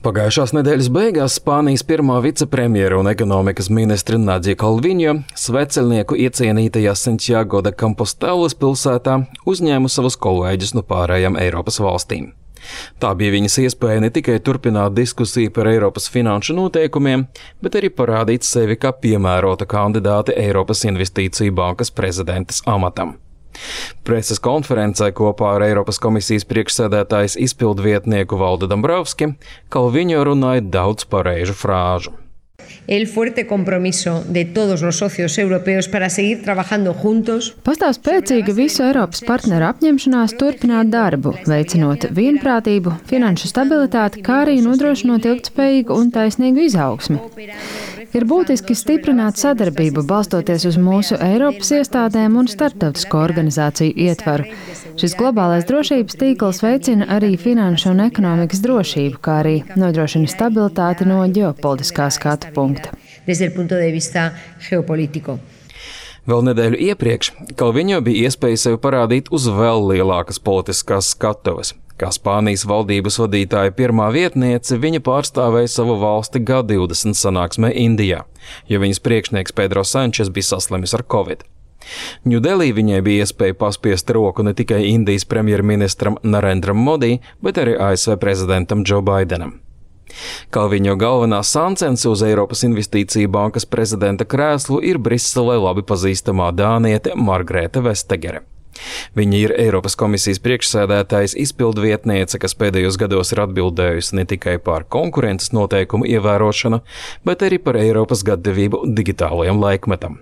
Pagājušās nedēļas beigās Spānijas pirmā vicepremjera un ekonomikas ministre Nadia Calviņo sveceļnieku iecienītajā Santiago de Compostelas pilsētā uzņēma savus kolēģus no pārējām Eiropas valstīm. Tā bija viņas iespēja ne tikai turpināt diskusiju par Eiropas finanšu noteikumiem, bet arī parādīt sevi kā piemērota kandidāte Eiropas Investīciju bankas prezidentes amatam. Preses konferencē kopā ar Eiropas komisijas priekšsēdētājas izpildvietnieku Valdu Dombrovski Calviņo runāja daudz pareižu frāžu. El fuerte compromiso de todos los socios europeos para seguir trabajando juntos. Pastāv spēcīga visu Eiropas partneru apņemšanās turpināt darbu, veicinot vienprātību, finanšu stabilitāti, kā arī nodrošinot ilgtspējīgu un taisnīgu izaugsmi. Ir būtiski stiprināt sadarbību, balstoties uz mūsu Eiropas iestādēm un starptautisko organizāciju ietvaru. Šis globālais drošības tīkls veicina arī finanšu un ekonomikas drošību, kā arī nodrošina stabilitāti no ģeopolitiskā skatu punkta. Vēl nedēļu iepriekš Calviņo bija iespēja sevi parādīt uz vēl lielākas politiskās skatuves. Kā Spānijas valdības vadītāja pirmā vietniece, viņa pārstāvēja savu valsti G20 sanāksmē Indijā, jo viņas priekšnieks Pedro Sančes bija saslimis ar Covid. Ņūdelī viņai bija iespēja paspiest roku ne tikai Indijas premjerministram Narendram Modi, bet arī ASV prezidentam Joe Bidenam. Calviņo galvenā sancence uz Eiropas Investīciju bankas prezidenta krēslu ir Briselē labi pazīstamā dāniete Margrethe Vestager. Viņa ir Eiropas komisijas priekšsēdētājas izpildvietniece, kas pēdējos gados ir atbildējusi ne tikai par konkurences noteikumu ievērošanu, bet arī par Eiropas gatavību digitālajam laikmetam.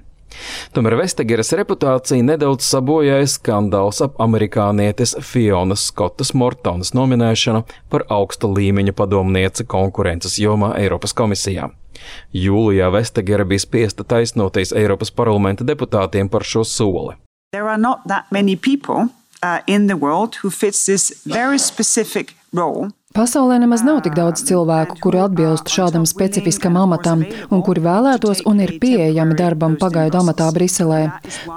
Tomēr Vestageres reputācija nedaudz sabojāja skandāls ap amerikānietes Fionas Skotas Mortonas nominēšanu par augsta līmeņa padomnieci konkurences jomā Eiropas komisijā. Jūlijā Vestagere bija spiesta taisnoties Eiropas parlamenta deputātiem par šo soli. There are not that many people in the world who fits this very specific role. Pasaulē nemaz nav tik daudz cilvēku, kuri atbilst šādam specifiskam amatam un kuri vēlētos un ir pieejami darbam pagaidu amatā Briselē.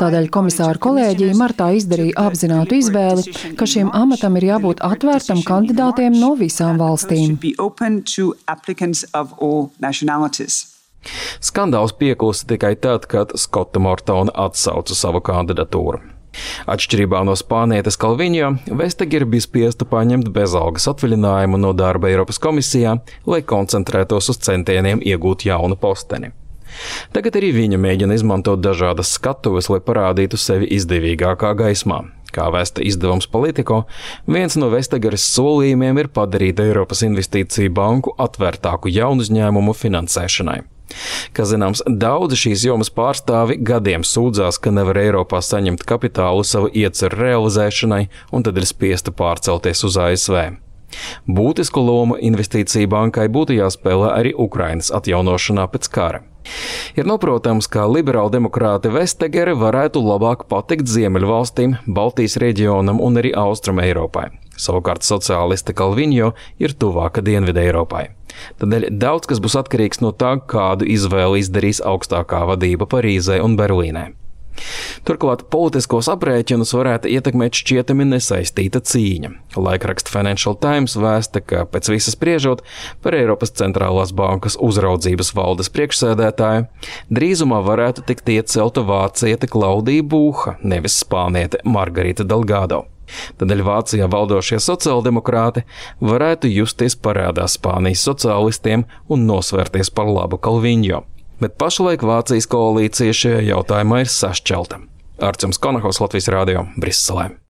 Tādēļ komisāra kolēģija martā izdarīja apzinātu izvēli, ka šiem amatam ir jābūt atvērtam kandidātiem no visām valstīm. Skandāls pieklusa tikai tad, kad Skota Mortona atsauca savu kandidatūru. Atšķirībā no spānietes Calviņo, Vestager bija spiesta paņemt bezalgas atvaļinājumu no darba Eiropas komisijā, lai koncentrētos uz centieniem iegūt jaunu posteni. Tagad arī viņa mēģina izmantot dažādas skatuves, lai parādītu sevi izdevīgākā gaismā. Kā vēsta izdevums Politico, viens no Vestageres solījumiem ir padarīt Eiropas Investīciju banku atvērtāku jaunu uzņēmumu finansēšanai. Kā zināms, daudzi šīs jomas pārstāvi gadiem sūdzās, ka nevar Eiropā saņemt kapitālu savu ieceru realizēšanai un tad ir spiesta pārcelties uz ASV. Būtisku lomu Investīciju bankai būtu jāspēlē arī Ukrainas atjaunošanā pēc kara. Ir noprotams, ka liberāldemokrāte Vestagere varētu labāk patikt Ziemeļvalstīm, Baltijas reģionam un arī Austrum Eiropai. Savukārt sociāliste Calviņo ir tuvāka Dienvidu Eiropai. Tādēļ daudz kas būs atkarīgs no tā, kādu izvēli izdarīs augstākā vadība Parīzē un Berlīnē. Turklāt politiskos aprēķinus varētu ietekmēt šķietami nesaistīta cīņa. Laikraksta Financial Times vēsta, ka pēc visas spriežot par Eiropas centrālās bankas uzraudzības valdes priekšsēdētāju, drīzumā varētu tikt iecelta vāciete Klaudija Būha, nevis spāniete Margarita Delgado. Tādēļ Vācijā valdošie sociāldemokrāti varētu justies parādā Spānijas sociālistiem un nosvērties par labu Calviņo. Bet pašlaik Vācijas koalīcija šajā jautājumā ir sašķelta. Arčuns Konahovs, Latvijas Rādio, Briselē.